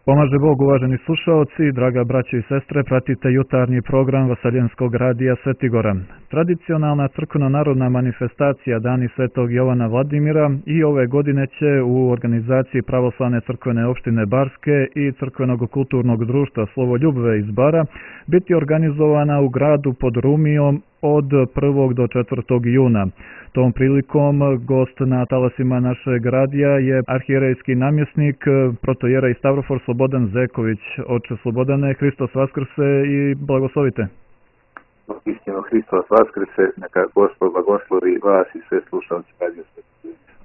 Pomaže Bog, uvaženi slušaoci, draga braćo i sestre, pratite jutarnji program Vaseljenskog radija Svetigora. Tradicionalna crkveno-narodna manifestacija Dani Svetog Jovana Vladimira i ove godine će u organizaciji Pravoslavne crkvene opštine Barske i Crkvenog kulturnog društva Slovoljubve iz Bara biti organizovana u gradu pod Rumijom od 1. do 4. juna. Tom prilikom gost na talasima našeg radija je arhijerejski namjesnik protojerej Stavrofor Slobodan Zeković. Oče Slobodane, Hristos Vaskrse i blagoslovite. Istino, Hristos Vaskrse, neka Gospod blagoslovi vas i sve slušalci Radio Svetigora.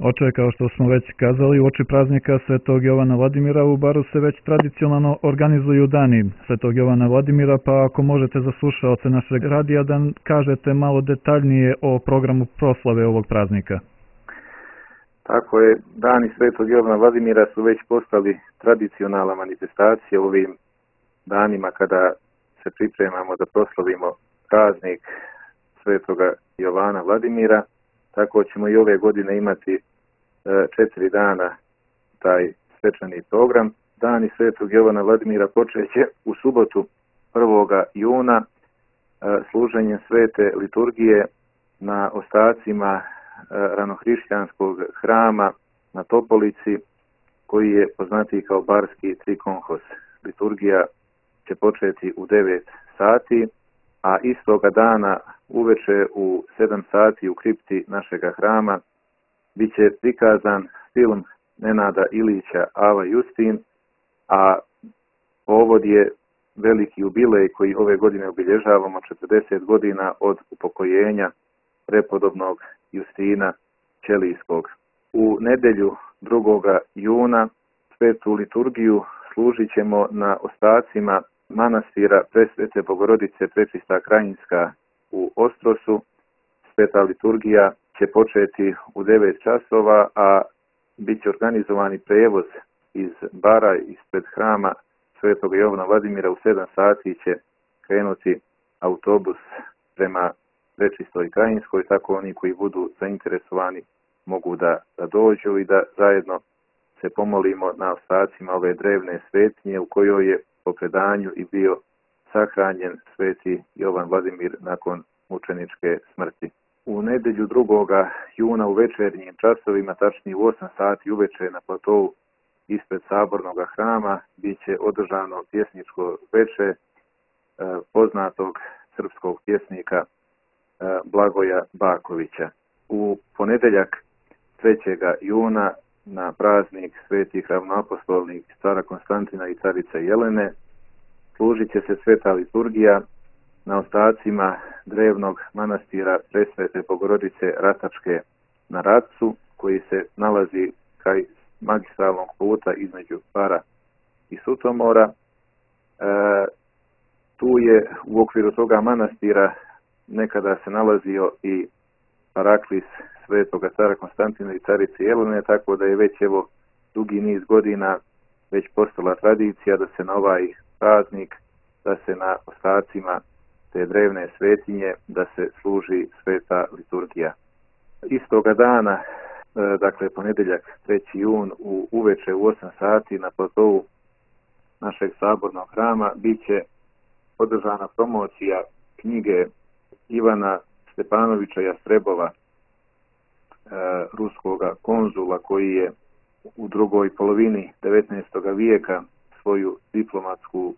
Oče, kao što smo već kazali, u oči praznika Svetog Jovana Vladimira u Baru se već tradicionalno organizuju dani Svetog Jovana Vladimira, pa ako možete za slušaoce našeg radija da kažete malo detaljnije o programu proslave ovog praznika. Tako je, dani Svetog Jovana Vladimira su već postali tradicionalna manifestacija ovim danima kada se pripremamo da proslavimo praznik Svetoga Jovana Vladimira. Tako ćemo i ove godine imati 4 dana taj svečani program. Dani Svetog Jovana Vladimira počeće u subotu 1. juna služenjem svete liturgije na ostacima ranohrišćanskog hrama na Topolici, koji je poznatiji kao Barski trikonhos. Liturgija će početi u 9 sati, a istoga dana uveče u 7 sati u kripti našega hrama bit će prikazan film Nenada Ilića Ava Justin, a povod je veliki jubilej koji ove godine obilježavamo 40 godina od upokojenja prepodobnog Justina Ćelijskog. U nedjelju 2. juna svetu liturgiju služit ćemo na ostacima manastira Presvete Bogorodice Prečista Krajinska u Ostrosu. Sveta liturgija će početi u 9 časova, a bit će organizovani prevoz iz Bara, ispred hrama Svetog Jovana Vladimira. U 7 sati će krenuti autobus prema Prečistoj Krajinskoj, tako oni koji budu zainteresovani mogu da dođu i da zajedno se pomolimo na ostacima ove drevne svetinje u kojoj je po predanju i bio sahranjen Sveti Jovan Vladimir nakon mučeničke smrti. U nedjelju 2. juna u večernjim časovima, tačnije u 8 sati uveče na platovu ispred Sabornog hrama, bit će održano pjesničko veče poznatog srpskog pjesnika Blagoja Bakovića. U ponedjeljak 3. juna na praznik svetih ravnoapostolnih cara Konstantina i carice Jelene služit će se sveta liturgija na ostacima drevnog manastira Presvete Bogorodice Ratačke na Ratcu, koji se nalazi kraj magistralnog puta između Bara i Sutomora. Tu je u okviru toga manastira nekada se nalazio i paraklis svetoga cara Konstantina i carice Jelene, tako da je već dugi niz godina već postala tradicija da se na ovaj praznik, da se na ostacima te drevne svetinje, da se služi sveta liturgija. Istoga dana, dakle ponedjeljak 3. jun uveče u 8 sati na platovu našeg Sabornog hrama bit će održana promocija knjige Ivana Stepanovića Jastrebova, ruskoga konzula koji je u drugoj polovini 19. vijeka svoju diplomatsku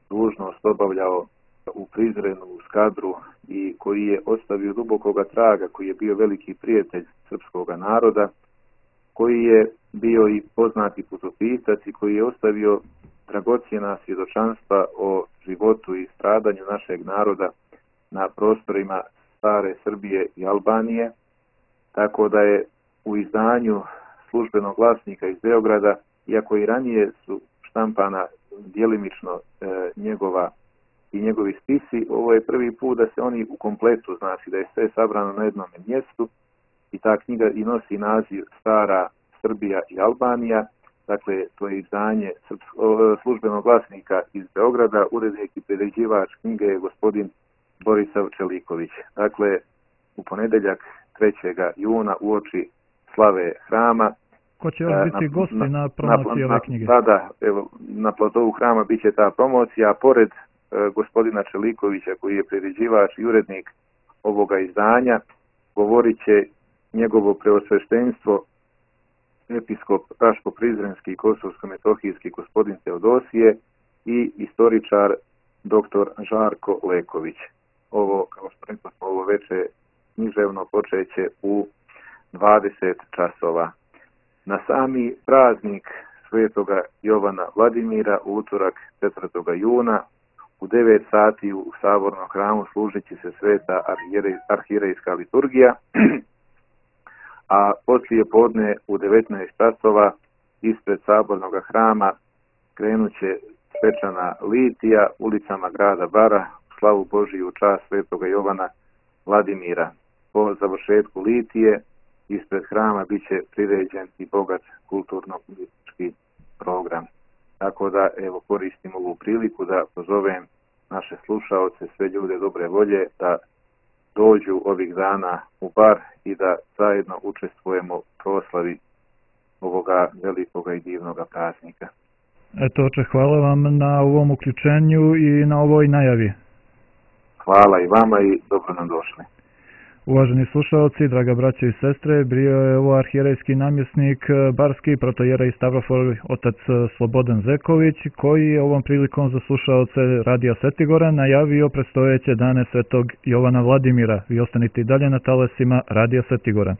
dužnost obavljao u Prizrenu, u Skadru, i koji je ostavio dubokoga traga, koji je bio veliki prijatelj srpskog naroda, koji je bio i poznati putopisac i koji je ostavio dragocjena svjedočanstva o životu i stradanju našeg naroda na prostorima stare Srbije i Albanije, tako da je u izdanju Službenog glasnika iz Beograda, iako i ranije su štampana djelimično njegovi spisi, ovo je prvi put da se oni u kompletu, znači da je sve sabrano na jednom mjestu, i ta knjiga i nosi naziv Stara Srbija i Albanija. Dakle, to je izdanje Službenog glasnika iz Beograda, urednik i priređivač knjige je gospodin Borisav Čeliković. Dakle, u ponedjeljak 3. juna uoči slave hrama Ko će još biti gosti na promociji ove knjige? Da, evo, na platovu hrama bit će ta promocija, pored gospodina Čelikovića koji je priređivač i urednik ovoga izdanja, govorit će njegovo preosveštenstvo episkop Raško-Prizrenski i Kosovsko-Metohijski gospodin Teodosije i istoričar dr. Žarko Leković. Ovo, kao što rekao, ovo veče književno počeće u 20 časova. Na sami praznik Svetoga Jovana Vladimira u utorak 4. juna u 9 sati u Sabornom hramu služit će se sveta arhirejska liturgija, a poslije podne u 19 časova ispred Sabornog hrama krenut će svečana litija ulicama grada Bara u slavu Božiju u čast Svetoga Jovana Vladimira. Po završetku litije ispred hrama bit će priređen i bogat kulturno-politički program. Tako da, evo, koristim ovu priliku da pozovem naše slušaoce, sve ljude dobre volje, da dođu ovih dana u Bar i da zajedno učestvujemo u proslavi ovoga velikoga i divnoga praznika. Eto, oče, hvala vam na ovom uključenju i na ovoj najavi. Hvala i vama i dobro nam došli. Uvaženi slušalci, draga braćo i sestre, bio je ovo arhijerejski namjesnik barski protojerej Stavrofor otac Slobodan Zeković, koji je ovom prilikom za slušalce Radija Svetigora najavio predstojeće dane Svetog Jovana Vladimira. Vi ostanite i dalje na talasima Radija Svetigora.